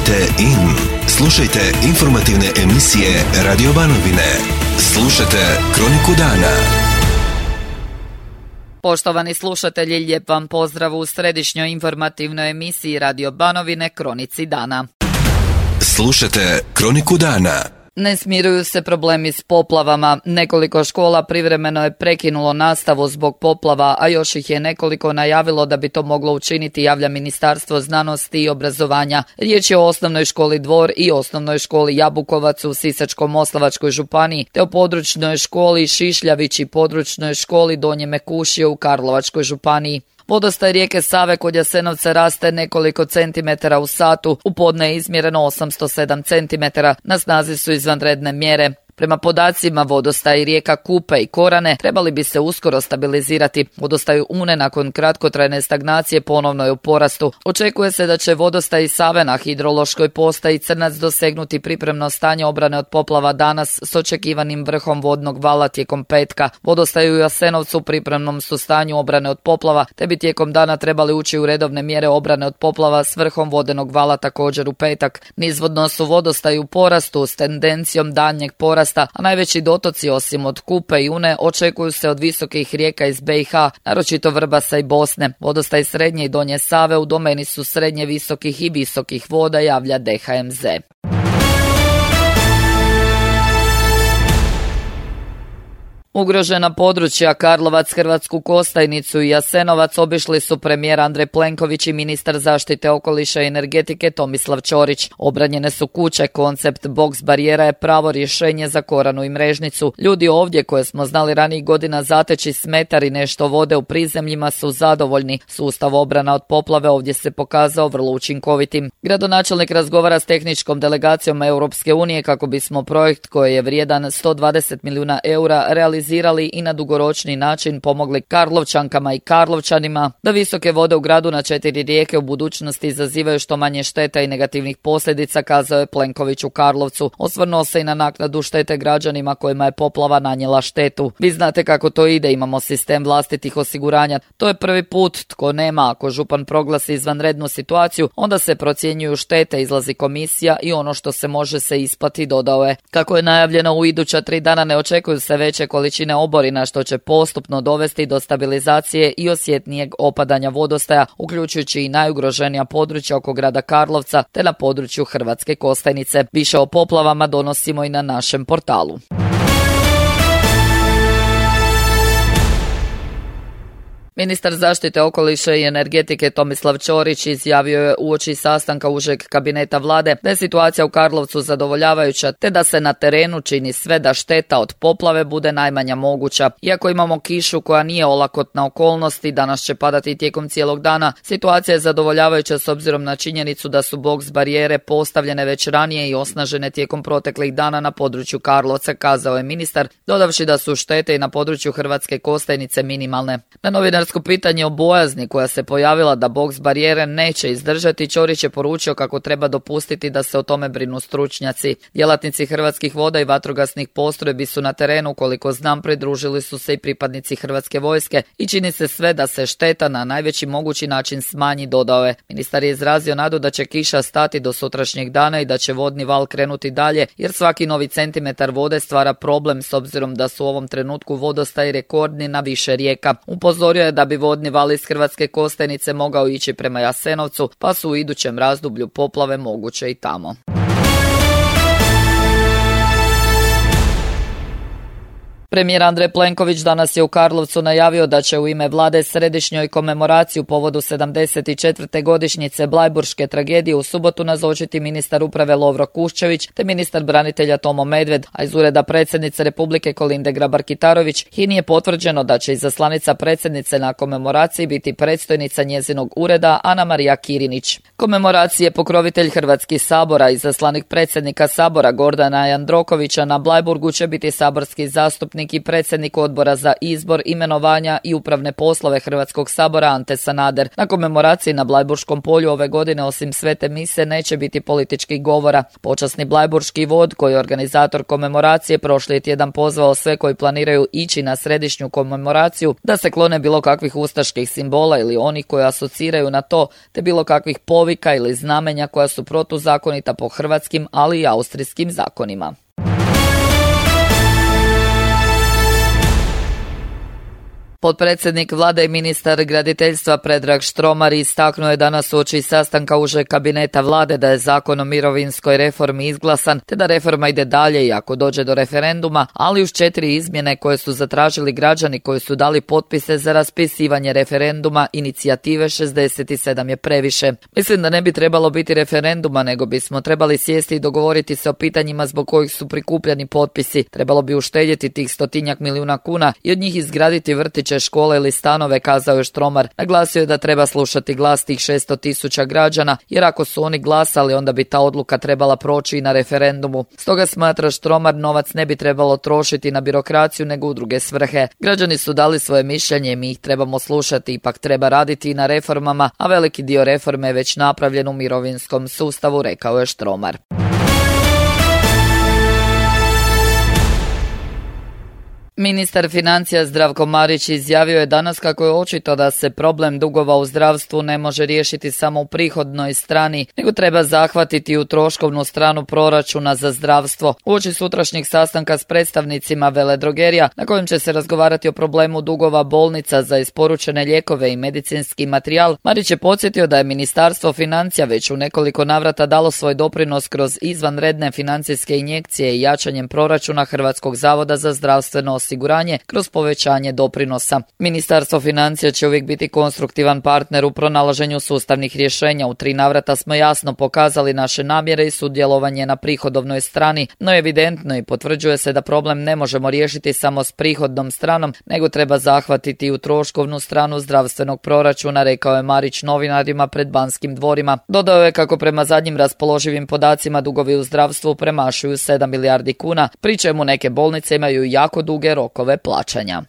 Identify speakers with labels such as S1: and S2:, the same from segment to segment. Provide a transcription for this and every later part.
S1: Tunite in. Slušajte informativne emisije Radio Banovine. Slušajte Kroniku dana.
S2: Poštovani slušatelji, lijep vam pozdrav u središnjoj informativnoj emisiji Radio Banovine Kronici dana.
S1: Slušajte Kroniku dana.
S2: Ne smiruju se problemi s poplavama. Nekoliko škola privremeno je prekinulo nastavu zbog poplava, a još ih je nekoliko najavilo da bi to moglo učiniti, javlja Ministarstvo znanosti i obrazovanja. Riječ je o osnovnoj školi Dvor i osnovnoj školi Jabukovac u Sisačko-moslavačkoj županiji, te o područnoj školi Šišljavić i područnoj školi Donje Mekušije u Karlovačkoj županiji. Vodostaj rijeke Save kod Jasenovca raste nekoliko centimetara u satu, u podne je izmjereno 807 centimetara, na snazi su izvanredne mjere. Prema podacima vodostaj rijeka Kupe i Korane trebali bi se uskoro stabilizirati. Vodostaj Une nakon kratkotrajne stagnacije ponovno je u porastu. Očekuje se da će vodostaj Save na hidrološkoj postaji Crnac dosegnuti pripremno stanje obrane od poplava danas s očekivanim vrhom vodnog vala tijekom petka. Vodostaj u Jasenovcu u pripremnom su stanju obrane od poplava, te bi tijekom dana trebali ući u redovne mjere obrane od poplava s vrhom vodenog vala također u petak. Nizvodno su vodostaj u porastu s tendencijom daljnjeg porasta, a najveći dotoci osim od Kupe i Une očekuju se od visokih rijeka iz BiH, naročito Vrbasa i Bosne. Vodostaj srednje i donje Save u domeni su srednje visokih i visokih voda, javlja DHMZ. Ugrožena područja Karlovac, Hrvatsku Kostajnicu i Jasenovac obišli su premijer Andrej Plenković i ministar zaštite okoliša i energetike Tomislav Ćorić. Obranjene su kuće, koncept boks barijera je pravo rješenje za Koranu i Mrežnicu. Ljudi ovdje koje smo znali ranijih godina zateći s metar i nešto vode u prizemljima su zadovoljni. Sustav obrana od poplave ovdje se pokazao vrlo učinkovitim. Gradonačelnik razgovara s tehničkom delegacijom Europske unije kako bismo projekt koji je vrijedan 120 milijuna eura realizirali i na dugoročni način pomogli Karlovčankama i Karlovčanima da visoke vode u gradu na 4 rijeke u budućnosti izazivaju što manje šteta i negativnih posljedica, kazao je Plenković u Karlovcu. Osvrnuo se i na naknadu štete građanima kojima je poplava nanijela štetu. Vi znate kako to ide, imamo sistem vlastitih osiguranja. To je prvi put, tko nema, ako župan proglasi izvanrednu situaciju, onda se procjenjuju štete, izlazi komisija i ono što se može se isplati, dodao je. Kako je najavljeno, u iduća 3 dana ne očekuju se veće količine oborina, što će postupno dovesti do stabilizacije i osjetnijeg opadanja vodostaja, uključujući i najugroženija područja oko grada Karlovca te na području Hrvatske Kostajnice. Više o poplavama donosimo i na našem portalu. Ministar zaštite okoliša i energetike Tomislav Ćorić izjavio je uoči sastanka užeg kabineta vlade da je situacija u Karlovcu zadovoljavajuća te da se na terenu čini sve da šteta od poplave bude najmanja moguća. Iako imamo kišu koja nije olakotna okolnost i danas će padati tijekom cijelog dana, situacija je zadovoljavajuća s obzirom na činjenicu da su boks barijere postavljene već ranije i osnažene tijekom proteklih dana na području Karlovca, kazao je ministar, dodavši da su štete i na području Hrvatske Kostajnice minimalne. Na novinarsko pitanje o bojazni koja se pojavila da boks barijere neće izdržati, Ćorić je poručio kako treba dopustiti da se o tome brinu stručnjaci. Djelatnici Hrvatskih voda i vatrogasnih postrojbi su na terenu, koliko znam, pridružili su se i pripadnici Hrvatske vojske i čini se sve da se šteta na najveći mogući način smanji, dodao je. Ministar je izrazio nadu da će kiša stati do sutrašnjeg dana i da će vodni val krenuti dalje, jer svaki novi centimetar vode stvara problem s obzirom da su u ovom trenutku vodostaji rekordni na više rijeka. Upozorio je da bi vodni val iz Hrvatske Kostajnice mogao ići prema Jasenovcu, pa su u idućem razdoblju poplave moguće i tamo. Premijer Andrej Plenković danas je u Karlovcu najavio da će u ime vlade središnjoj komemoraciji u povodu 74. godišnjice Blajburške tragedije u subotu nazočiti ministar uprave Lovro Kuščević te ministar branitelja Tomo Medved, a iz ureda predsjednice Republike Kolinde Grabar-Kitarović HINA-i je potvrđeno da će izaslanica predsjednice na komemoraciji biti predstojnica njezinog ureda Ana Marija Kirinić. Komemoraciji je pokrovitelj Hrvatski sabora, izaslanik predsjednika sabora Gordana Jandrokovića na Blajburgu će biti saborski zastupnik zastupnik i predsjednik odbora za izbor, imenovanja i upravne poslove Hrvatskog sabora Ante Sanader. Na komemoraciji na Blajburškom polju ove godine osim svete mise neće biti političkih govora. Počasni blajburški vod, koji je organizator komemoracije, prošli je tjedan pozvao sve koji planiraju ići na središnju komemoraciju da se klone bilo kakvih ustaških simbola ili onih koji asociraju na to, te bilo kakvih povika ili znamenja koja su protuzakonita po hrvatskim, ali i austrijskim zakonima. Potpredsjednik vlade i ministar graditeljstva Predrag Štromar istaknuo je danas uoči sastanka užeg kabineta vlade da je zakon o mirovinskoj reformi izglasan, te da reforma ide dalje i ako dođe do referenduma, ali uz 4 izmjene koje su zatražili građani koji su dali potpise za raspisivanje referenduma inicijative 67 je previše. Mislim da ne bi trebalo biti referenduma, nego bismo trebali sjesti i dogovoriti se o pitanjima zbog kojih su prikupljani potpisi. Trebalo bi uštedjeti tih 100 milijuna kuna i od njih izgraditi vrtić, škole ili stanove, kazao je Štromar. Naglasio je da treba slušati glas tih 600.000 građana, jer ako su oni glasali, onda bi ta odluka trebala proći i na referendumu. Stoga smatra Štromar, novac ne bi trebalo trošiti na birokraciju nego u druge svrhe. Građani su dali svoje mišljenje, mi ih trebamo slušati, ipak treba raditi i na reformama, a veliki dio reforme je već napravljen u mirovinskom sustavu, rekao je Štromar. Ministar financija Zdravko Marić izjavio je danas kako je očito da se problem dugova u zdravstvu ne može riješiti samo u prihodnoj strani, nego treba zahvatiti u troškovnu stranu proračuna za zdravstvo. Uoči sutrašnjeg sastanka s predstavnicima veledrogerija, na kojem će se razgovarati o problemu dugova bolnica za isporučene lijekove i medicinski materijal, Marić je podsjetio da je Ministarstvo financija već u nekoliko navrata dalo svoj doprinos kroz izvanredne financijske injekcije i jačanjem proračuna Hrvatskog zavoda za zdravstveno osiguranje kroz povećanje doprinosa. Ministarstvo financija će uvijek biti konstruktivan partner u pronalaženju sustavnih rješenja. U 3 navrata smo jasno pokazali naše namjere i sudjelovanje na prihodovnoj strani, no evidentno i potvrđuje se da problem ne možemo riješiti samo s prihodnom stranom, nego treba zahvatiti i u troškovnu stranu zdravstvenog proračuna, rekao je Marić novinarima pred Banskim dvorima. Dodao je kako prema zadnjim raspoloživim podacima dugovi u zdravstvu premašuju 7 milijardi kuna, pri čemu neke bolnice imaju jako duge rokove plaćanja.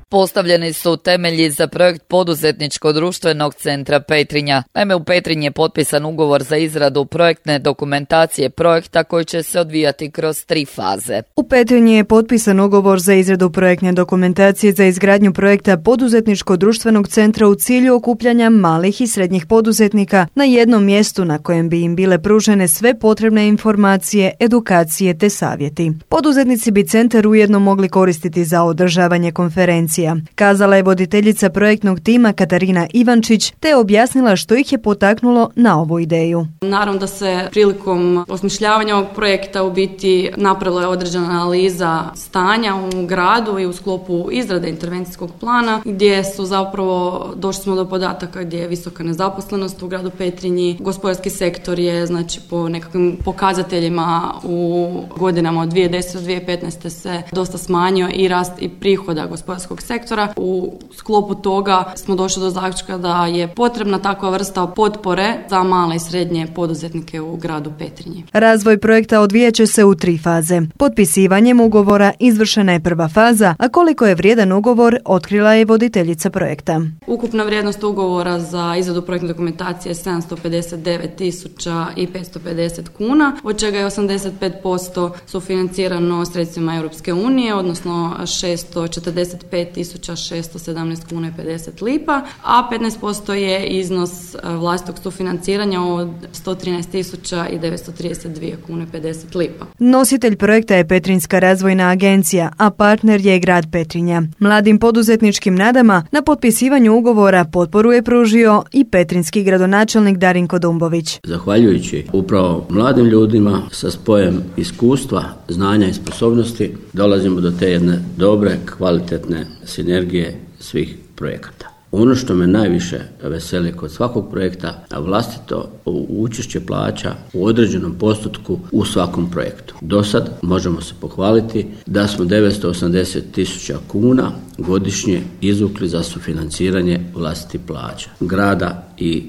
S2: Postavljeni su temelji za projekt poduzetničko-društvenog centra Petrinja. Naime, u Petrinji je potpisan ugovor za izradu projektne dokumentacije projekta koji će se odvijati kroz 3 faze.
S3: U Petrinji je potpisan ugovor za izradu projektne dokumentacije za izgradnju projekta poduzetničko-društvenog centra u cilju okupljanja malih i srednjih poduzetnika na jednom mjestu na kojem bi im bile pružene sve potrebne informacije, edukacije te savjeti. Poduzetnici bi centar ujedno mogli koristiti za održavanje konferencija. Kazala je voditeljica projektnog tima Katarina Ivančić, te objasnila što ih je potaknulo na ovu ideju.
S4: Naravno da se prilikom osmišljavanja ovog projekta u biti napravila je određena analiza stanja u gradu i u sklopu izrade intervencijskog plana, gdje su zapravo došli smo do podataka gdje je visoka nezaposlenost u gradu Petrinji. Gospodarski sektor je, znači, po nekakvim pokazateljima u godinama od 2010. do 2015. se dosta smanjio i rast i prihoda gospodarskog sektora. U sklopu toga smo došli do zaključka da je potrebna takva vrsta potpore za male i srednje poduzetnike u gradu Petrinji.
S3: Razvoj projekta odvijat će se u 3 faze. Potpisivanjem ugovora izvršena je prva faza, a koliko je vrijedan ugovor otkrila je voditeljica projekta.
S4: Ukupna vrijednost ugovora za izradu projektne dokumentacije je 759.550 kuna, od čega je 85% sufinancirano sredstvima Europske unije, odnosno 645.617 kuna i 50 lipa, a 15% je iznos vlastitog sufinanciranja od 113.932 kuna i 50 lipa.
S3: Nositelj projekta je Petrinjska razvojna agencija, a partner je grad Petrinja. Mladim poduzetničkim nadama na potpisivanju ugovora potporu je pružio i petrinjski gradonačelnik Darinko Dumbović.
S5: Zahvaljujući upravo mladim ljudima sa spojem iskustva, znanja i sposobnosti dolazimo do te jedne dobre, kvalitetne sinergije svih projekata. Ono što me najviše veseli kod svakog projekta, vlastito učešće plaća u određenom postotku u svakom projektu. Do sad možemo se pohvaliti da smo 980.000 kuna godišnje izvukli za sufinanciranje vlastitih plaća grada i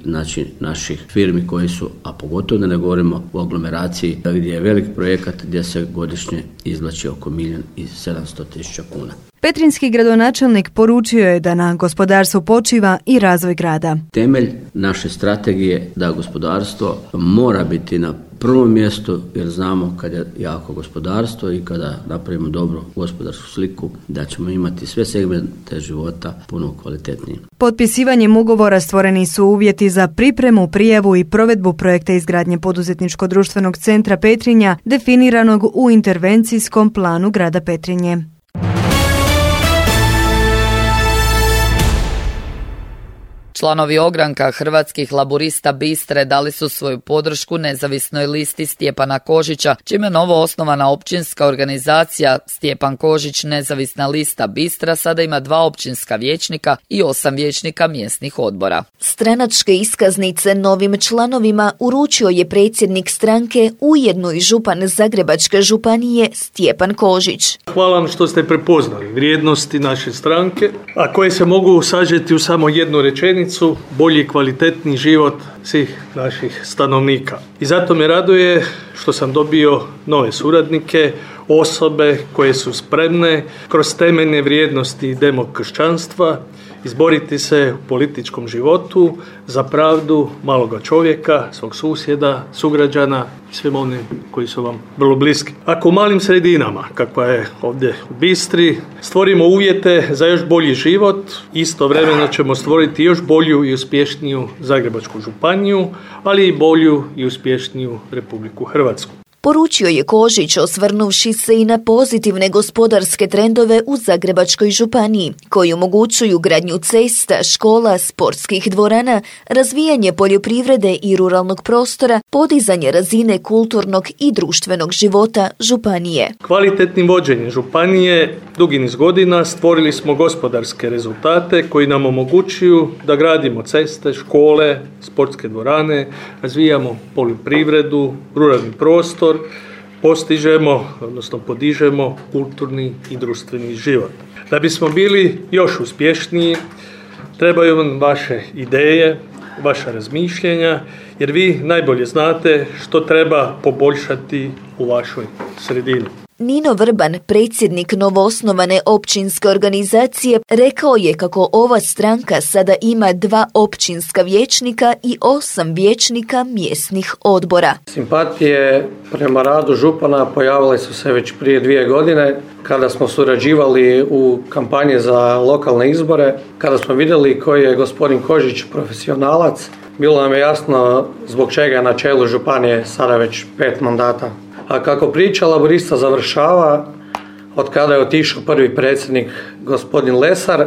S5: naših firmi koji su, a pogotovo da ne govorimo o aglomeraciji gdje je velik projekat gdje se godišnje izvlači oko 1.700.000 kuna.
S3: Petrinjski gradonačelnik poručio je da na gospodarstvu počiva i razvoj grada.
S5: Temelj naše strategije da gospodarstvo mora biti na prvom mjestu, jer znamo kad je jako gospodarstvo i kada napravimo dobru gospodarsku sliku, da ćemo imati sve segmente života puno kvalitetnije.
S3: Potpisivanjem ugovora stvoreni su uvjeti za pripremu, prijavu i provedbu projekta izgradnje poduzetničko-društvenog centra Petrinja, definiranog u intervencijskom planu grada Petrinje.
S2: Članovi ogranka Hrvatskih laburista Bistre dali su svoju podršku nezavisnoj listi Stjepana Kožića, čime novo osnovana općinska organizacija Stjepan Kožić nezavisna lista Bistra sada ima 2 općinska vijećnika i 8 vijećnika mjesnih odbora.
S6: Stranačke iskaznice novim članovima uručio je predsjednik stranke, ujedno i župan Zagrebačke županije Stjepan Kožić.
S7: Hvala vam što ste prepoznali vrijednosti naše stranke, a koje se mogu sažeti u samo jednu rečenicu: bolji i kvalitetni život svih naših stanovnika. I zato me raduje što sam dobio nove suradnike, osobe koje su spremne kroz temeljne vrijednosti demokršćanstva izboriti se u političkom životu za pravdu maloga čovjeka, svog susjeda, sugrađana i svim onim koji su vam vrlo bliski. Ako u malim sredinama, kakva je ovdje u Bistri, stvorimo uvjete za još bolji život, istovremeno ćemo stvoriti još bolju i uspješniju Zagrebačku županiju, ali i bolju i uspješniju Republiku Hrvatsku.
S6: Poručio je Kožić, osvrnuvši se i na pozitivne gospodarske trendove u Zagrebačkoj županiji, koji omogućuju gradnju cesta, škola, sportskih dvorana, razvijanje poljoprivrede i ruralnog prostora, podizanje razine kulturnog i društvenog života županije.
S7: Kvalitetnim vođenjem županije dugi niz godina stvorili smo gospodarske rezultate koji nam omogućuju da gradimo ceste, škole, sportske dvorane, razvijamo poljoprivredu, ruralni prostor, postižemo, odnosno podižemo kulturni i društveni život. Da bismo bili još uspješniji, trebaju vam vaše ideje, vaša razmišljenja, jer vi najbolje znate što treba poboljšati u vašoj sredini.
S6: Nino Vrban, predsjednik novoosnovane općinske organizacije, rekao je kako ova stranka sada ima 2 općinska vijećnika i 8 vijećnika mjesnih odbora.
S8: Simpatije prema radu župana pojavile su se već prije 2 godine kada smo surađivali u kampanji za lokalne izbore, kada smo vidjeli koji je gospodin Kožić profesionalac. Bilo nam je jasno zbog čega je na čelu županije sada već 5 mandata. A kako priča laburista završava, od kada je otišao prvi predsjednik gospodin Lesar,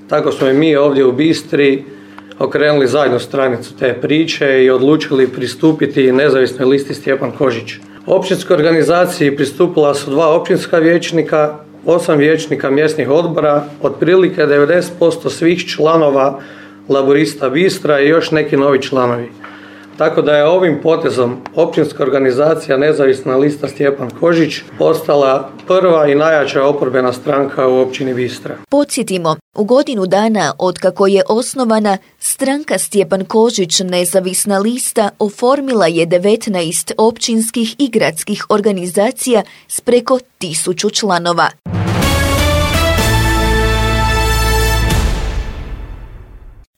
S8: tako smo i mi ovdje u Bistri okrenuli zadnju stranicu te priče i odlučili pristupiti nezavisnoj listi Stjepan Kožić. Općinskoj organizaciji pristupila su 2 općinska vijećnika, 8 vijećnika mjesnih odbora, otprilike 90% svih članova laburista Bistra i još neki novi članovi. Tako da je ovim potezom općinska organizacija nezavisna lista Stjepan Kožić postala prva i najjača oporbena stranka u općini Bistra.
S6: Podsjetimo, u godinu dana otkako je osnovana, stranka Stjepan Kožić nezavisna lista oformila je 19 općinskih i gradskih organizacija s preko 1000 članova.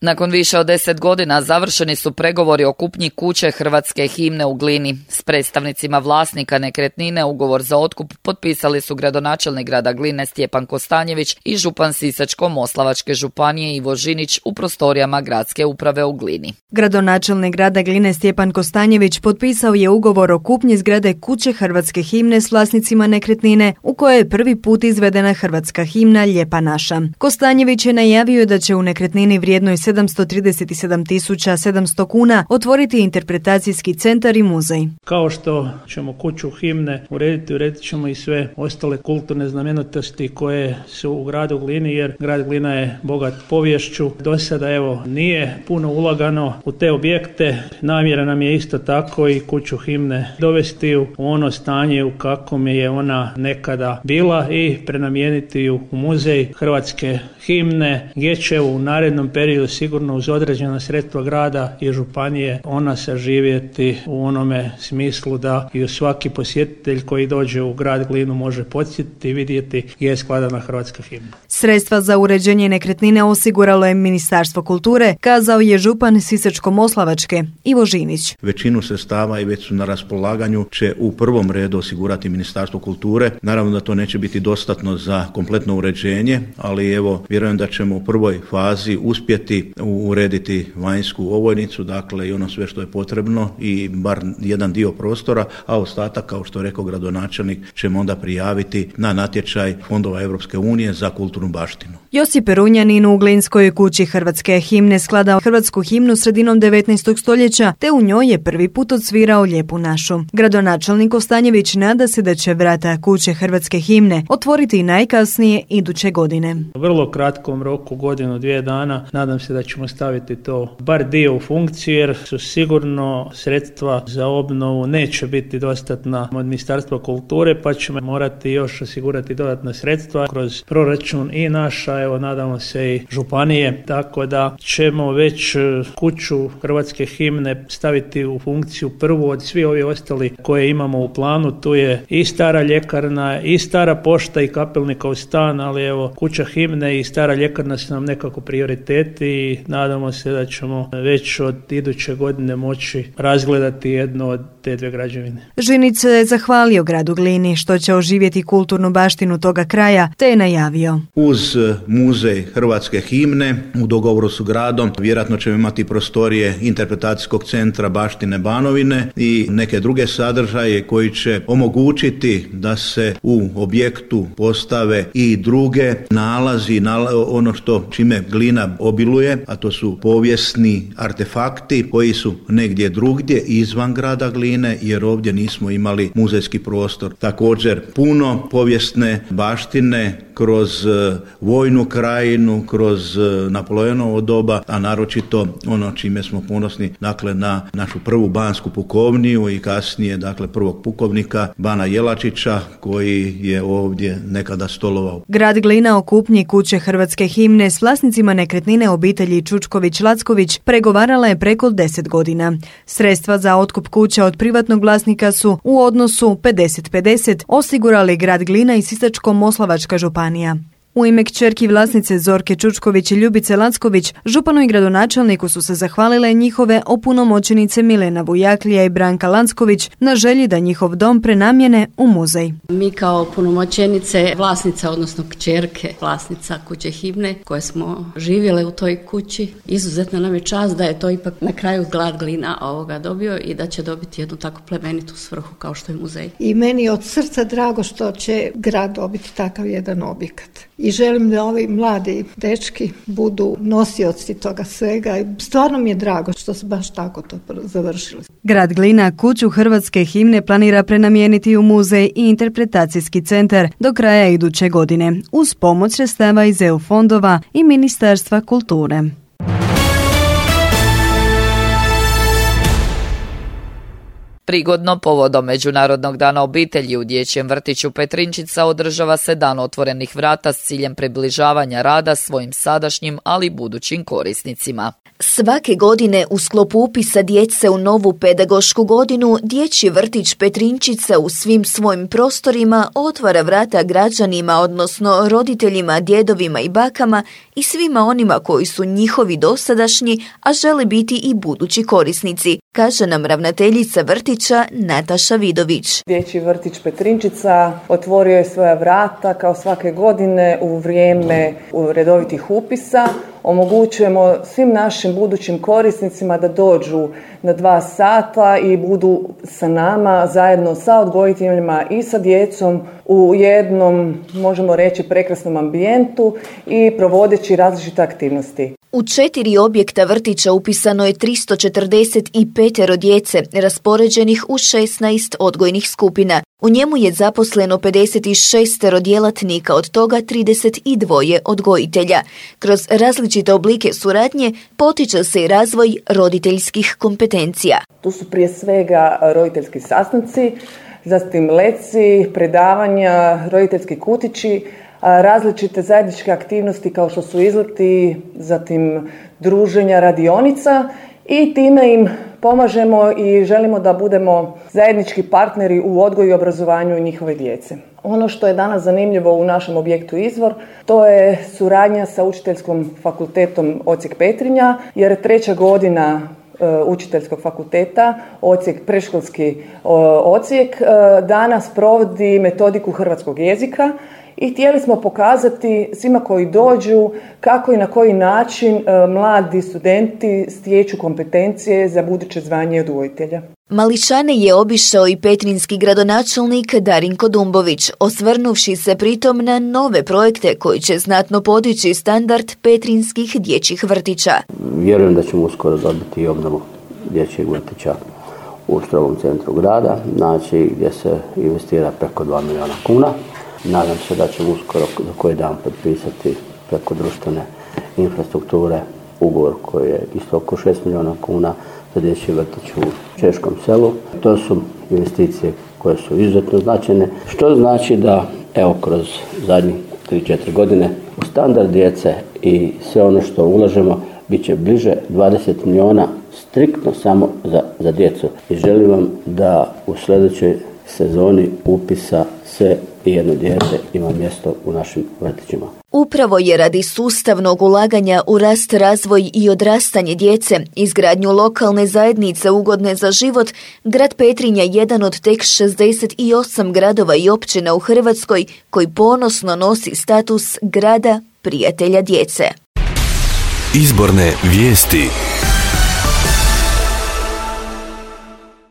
S2: Nakon više od 10 godina završeni su pregovori o kupnji kuće hrvatske himne u Glini. S predstavnicima vlasnika nekretnine ugovor za otkup potpisali su gradonačelnik grada Gline Stjepan Kostanjević i župan Sisačko-moslavačke županije Ivo Žinić u prostorijama gradske uprave u Glini.
S3: Gradonačelnik grada Gline Stjepan Kostanjević potpisao je ugovor o kupnji zgrade kuće hrvatske himne s vlasnicima nekretnine u kojoj je prvi put izvedena hrvatska himna Lijepa naša. Kostanjević je najavio da će u nekretnini vrijednoj 737.700 kuna otvoriti interpretacijski centar i muzej.
S9: Kao što ćemo kuću himne uredit ćemo i sve ostale kulturne znamenitosti koje su u gradu Glini, jer grad Glina je bogat poviješću. Do sada nije puno ulagano u te objekte. Namjera nam je isto tako i kuću himne dovesti u ono stanje u kakvom je ona nekada bila i prenamijeniti ju u muzej hrvatske himne, gdje će u narednom periodu sigurno uz određena sredstva grada i županije ona saživjeti u onome smislu da i svaki posjetitelj koji dođe u grad Glinu može podsjetiti i vidjeti gdje je skladana hrvatska himna.
S3: Sredstva za uređenje nekretnine osiguralo je Ministarstvo kulture, kazao je župan Sisačko-moslavačke Ivo Žinić.
S10: Većinu sredstava i već su na raspolaganju će u prvom redu osigurati Ministarstvo kulture. Naravno da to neće biti dostatno za kompletno uređenje, ali vjerujem da ćemo u prvoj fazi uspjeti urediti vanjsku ovojnicu, dakle i ono sve što je potrebno i bar jedan dio prostora, a ostatak, kao što je rekao gradonačelnik, ćemo onda prijaviti na natječaj fondova Europske unije za kulturnu baštinu.
S3: Josip Perunjanin u Glinskoj kući hrvatske himne skladao hrvatsku himnu sredinom 19. stoljeća, te u njoj je prvi put odsvirao Lijepu našu. Gradonačelnik Ostanjević nada se da će vrata kuće hrvatske himne otvoriti najkasnije iduće godine.
S9: U vrlo kratkom roku, godinu, 2 dana, nadam se da ćemo staviti to bar dio u funkciju, jer su sigurno sredstva za obnovu neće biti dostatna od Ministarstva kulture, pa ćemo morati još osigurati dodatna sredstva kroz proračun i naša, nadamo se i županije, tako da ćemo već kuću hrvatske himne staviti u funkciju prvu od svi ovi ostali koje imamo u planu. Tu je i stara ljekarna, i stara pošta i kapelnika u stan, ali kuća himne i stara ljekarna su nam nekako prioriteti i nadamo se da ćemo već od iduće godine moći razgledati jednu od te 2 građevine.
S3: Žinić je zahvalio gradu Glini što će oživjeti kulturnu baštinu toga kraja, te je najavio.
S10: Uz muzej hrvatske himne u dogovoru s gradom vjerojatno ćemo imati prostorije interpretacijskog centra baštine Banovine i neke druge sadržaje koji će omogućiti da se u objektu postave i druge nalazi, ono što čime Glina obiluje, a to su povijesni artefakti koji su negdje drugdje izvan grada Gline, jer ovdje nismo imali muzejski prostor. Također puno povijesne baštine kroz vojnu krajinu, kroz Napoleonovo doba, a naročito ono čime smo ponosni, dakle na našu prvu bansku pukovniju i kasnije prvog pukovnika Bana Jelačića koji je ovdje nekada stolovao.
S3: Grad Glina o kupnji kuće hrvatske himne s vlasnicima nekretnine obitelji Čučković-Lacković pregovarala je preko 10 godina. Sredstva za otkup kuća od privatnog vlasnika su u odnosu 50-50 osigurali grad Glina i Sisačko-moslavačka županija. U ime kćerki vlasnice Zorke Čučković i Ljubice Lacković, županu i gradonačelniku su se zahvalile njihove opunomoćenice Milena Vujaklija i Branka Lacković na želji da njihov dom prenamjene u muzej.
S11: Mi kao opunomoćenice vlasnica, odnosno kćerke vlasnica kuće himne koje smo živjele u toj kući, izuzetno nam je čast da je to ipak na kraju grad Glina dobio i da će dobiti jednu tako plemenitu svrhu kao što je muzej.
S12: I meni je od srca drago što će grad dobiti takav jedan objekat. I želim da ovi mladi dečki budu nosioci toga svega i stvarno mi je drago što su baš tako to završili.
S3: Grad Glina kuću hrvatske himne planira prenamijeniti u muzej i interpretacijski centar do kraja iduće godine uz pomoć sredstava iz EU fondova i Ministarstva kulture.
S2: Prigodno povodom Međunarodnog dana obitelji u dječjem vrtiću Petrinčica održava se dan otvorenih vrata s ciljem približavanja rada svojim sadašnjim, ali i budućim korisnicima.
S6: Svake godine u sklopu upisa djece u novu pedagošku godinu Dječji vrtić Petrinčica u svim svojim prostorima otvara vrata građanima, odnosno roditeljima, djedovima i bakama i svima onima koji su njihovi dosadašnji, a žele biti i budući korisnici, kaže nam ravnateljica vrtića Nataša Vidović.
S13: Dječji vrtić Petrinčica otvorio je svoja vrata kao svake godine u vrijeme redovitih upisa. Omogućujemo svim našim budućim korisnicima da dođu na 2 sata i budu sa nama zajedno sa odgojiteljima i sa djecom u jednom, možemo reći, prekrasnom ambijentu i provodeći različite aktivnosti.
S6: U 4 objekta vrtića upisano je 345 djece, raspoređenih u 16 odgojnih skupina. U njemu je zaposleno 56 djelatnika, od toga 32 odgojitelja. Kroz različite oblike suradnje potiče se i razvoj roditeljskih kompetencija.
S13: Tu su prije svega roditeljski sastanci, zatim leci, predavanja, roditeljski kutići, različite zajedničke aktivnosti kao što su izleti, zatim druženja, radionica i time im pomažemo i želimo da budemo zajednički partneri u odgoju i obrazovanju njihove djece. Ono što je danas zanimljivo u našem objektu Izvor, to je suradnja sa Učiteljskim fakultetom Odsjek Petrinja, jer 3. godina Učiteljskog fakulteta, predškolski odsjek, danas provodi metodiku hrvatskog jezika i htjeli smo pokazati svima koji dođu kako i na koji način mladi studenti stječu kompetencije za buduće zvanje odgojitelja.
S6: Mališane je obišao i petrinjski gradonačelnik Darinko Dumbović, osvrnuvši se pritom na nove projekte koji će znatno podići standard petrinjskih dječjih vrtića.
S5: Vjerujem da ćemo uskoro dobiti i obnovu dječjeg vrtića u strogom centru grada, znači gdje se investira preko 2 milijuna kuna. Nadam se da ćemo uskoro za koji dan potpisati preko društvene infrastrukture ugovor koji je isto oko 6 milijuna kuna za dječji vrtić u Češkom selu. To su investicije koje su izuzetno značajne, što znači da evo kroz zadnjih 3-4 godine u standard djece i sve ono što ulažemo bit će bliže 20 milijuna striktno samo za djecu. I želim vam da u sljedećoj sezoni upisa sve i jedno dijete ima mjesto u našim vrtićima.
S6: Upravo je radi sustavnog ulaganja u rast, razvoj i odrastanje djece, izgradnju lokalne zajednice ugodne za život, grad Petrinja jedan od tek 68 gradova i općina u Hrvatskoj koji ponosno nosi status grada prijatelja djece.
S1: Izborne vijesti.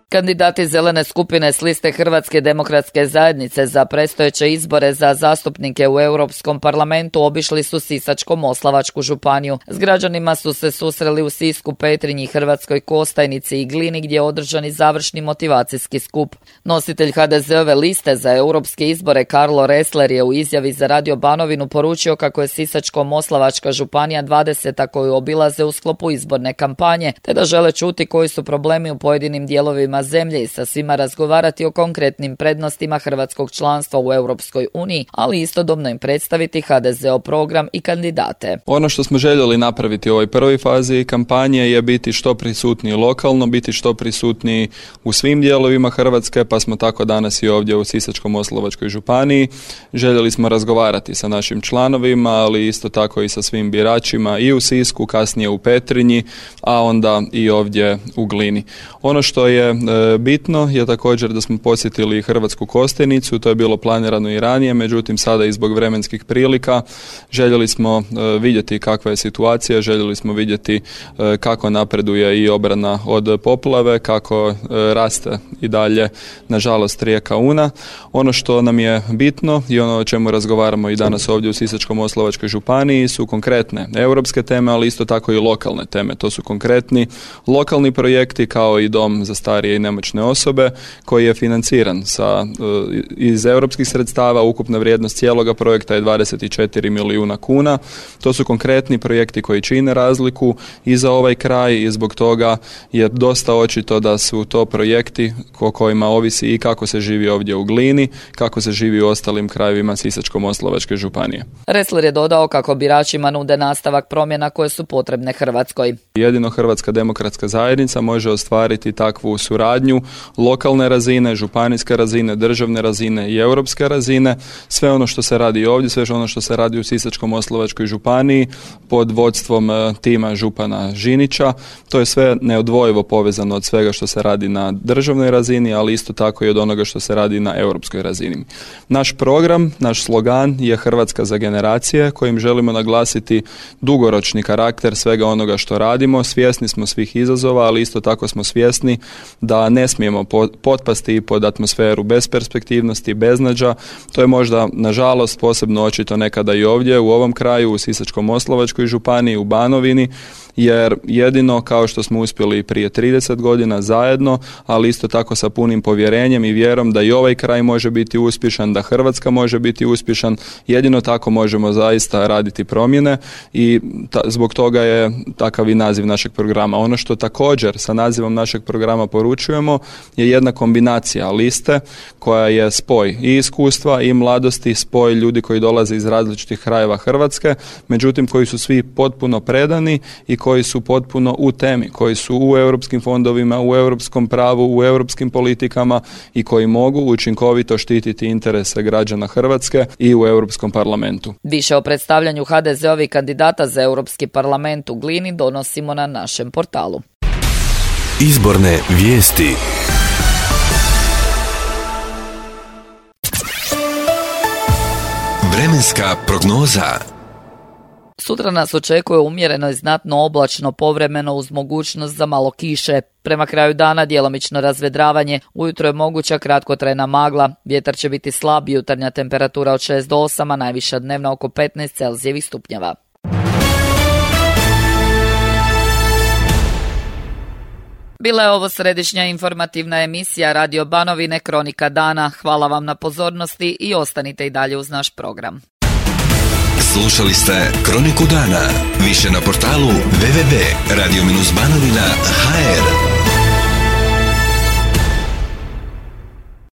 S2: Kandidati zelene skupine s liste Hrvatske demokratske zajednice za predstojeće izbore za zastupnike u Europskom parlamentu obišli su Sisačko-moslavačku županiju. S građanima su se susreli u Sisku, Petrinji, Hrvatskoj Kostajnici i Glini gdje je održani završni motivacijski skup. Nositelj HDZ-ove liste za europske izbore Karlo Ressler je u izjavi za Radio Banovinu poručio kako je Sisačko-moslavačka županija 20. koju obilaze u sklopu izborne kampanje, te da žele čuti koji su problemi u pojedinim dijelovima zemlje i sa svima razgovarati o konkretnim prednostima hrvatskog članstva u Europskoj uniji, ali istodobno im predstaviti HDZ-ov program i kandidate.
S14: Ono što smo željeli napraviti u ovoj prvoj fazi kampanje je biti što prisutniji lokalno, biti što prisutniji u svim dijelovima Hrvatske, pa smo tako danas i ovdje u Sisačko-moslavačkoj županiji. Željeli smo razgovarati sa našim članovima, ali isto tako i sa svim biračima i u Sisku, kasnije u Petrinji, a onda i ovdje u Glini. Ono što je bitno je također da smo posjetili Hrvatsku Kostajnicu, to je bilo planirano i ranije, međutim sada i zbog vremenskih prilika željeli smo vidjeti kakva je situacija, željeli smo vidjeti kako napreduje i obrana od poplave, kako raste i dalje nažalost rijeka Una. Ono što nam je bitno i ono o čemu razgovaramo i danas ovdje u Sisačko-moslavačkoj županiji su konkretne europske teme, ali isto tako i lokalne teme. To su konkretni lokalni projekti kao i dom za starije i nemoćne osobe koji je financiran iz europskih sredstava. Ukupna vrijednost cijeloga projekta je 24 milijuna kuna. To su konkretni projekti koji čine razliku i za ovaj kraj i zbog toga je dosta očito da su to projekti o kojima ovisi i kako se živi ovdje u Glini, kako se živi u ostalim krajevima Sisačko-moslavačke županije.
S2: Ressler je dodao kako biračima nude nastavak promjena koje su potrebne Hrvatskoj.
S14: Jedino Hrvatska demokratska zajednica može ostvariti takvu suradnju lokalne razine, županijske razine, državne razine i europske razine. Sve ono što se radi ovdje, sve ono što se radi u Sisačko-moslavačkoj županiji pod vodstvom tima župana Žinića, to je sve neodvojivo povezano od svega što se radi na državnoj razini, ali isto tako i od onoga što se radi na europskoj razini. Naš program, naš slogan je Hrvatska za generacije, kojim želimo naglasiti dugoročni karakter svega onoga što radimo radimo, svjesni smo svih izazova, ali isto tako smo svjesni da ne smijemo potpasti pod atmosferu besperspektivnosti, beznađa. To je možda, nažalost, posebno očito nekada i ovdje u ovom kraju, u Sisačko-moslavačkoj županiji, u Banovini, jer jedino kao što smo uspjeli prije 30 godina zajedno, ali isto tako sa punim povjerenjem i vjerom da i ovaj kraj može biti uspješan, da Hrvatska može biti uspješan, jedino tako možemo zaista raditi promjene i zbog toga je takav i naziv našeg programa. Ono što također sa nazivom našeg programa poručujemo je jedna kombinacija liste koja je spoj i iskustva i mladosti, spoj ljudi koji dolaze iz različitih krajeva Hrvatske, međutim koji su svi potpuno predani i koji su potpuno u temi, koji su u europskim fondovima, u europskom pravu, u europskim politikama i koji mogu učinkovito štititi interese građana Hrvatske i u Europskom parlamentu.
S2: Više o predstavljanju HDZ-ovih kandidata za Europski parlament u Glini donosimo na našem portalu.
S1: Izborne vijesti. Vremenska prognoza.
S2: Sutra nas očekuje umjereno i znatno oblačno povremeno uz mogućnost za malo kiše. Prema kraju dana djelomično razvedravanje, ujutro je moguća kratkotrajna magla, vjetar će biti slab, jutarnja temperatura od 6 do 8, a najviša dnevna oko 15 Celzijevih stupnjeva. Bila je ovo središnja informativna emisija Radio Banovine Kronika dana. Hvala vam na pozornosti i ostanite i dalje uz naš program.
S1: Slušali ste Kroniku dana. Više na portalu www.radio-banovina.hr.